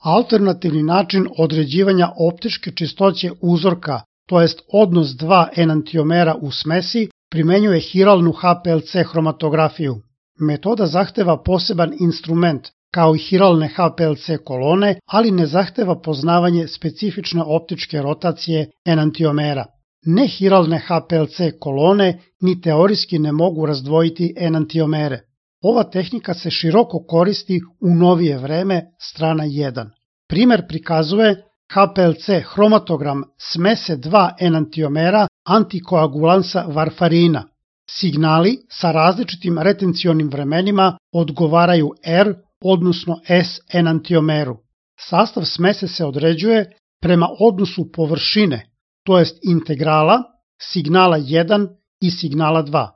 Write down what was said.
Alternativni način određivanja optičke čistoće uzorka, to jest odnos dva enantiomera u smesi, primenjuje hiralnu HPLC hromatografiju. Metoda zahteva poseban instrument, kao i hiralne HPLC kolone, ali ne zahteva poznavanje specifične optičke rotacije enantiomera. Nehiralne HPLC kolone ni teorijski ne mogu razdvojiti enantiomere. Ova tehnika se široko koristi u novije vreme, strana 1. Primer prikazuje HPLC hromatogram smese dva enantiomera antikoagulansa varfarina. Signali sa različitim retencionim vremenima odgovaraju R, odnosno S enantiomeru. Sastav smese se određuje prema odnosu površine, to jest integrala, signala 1 i signala 2.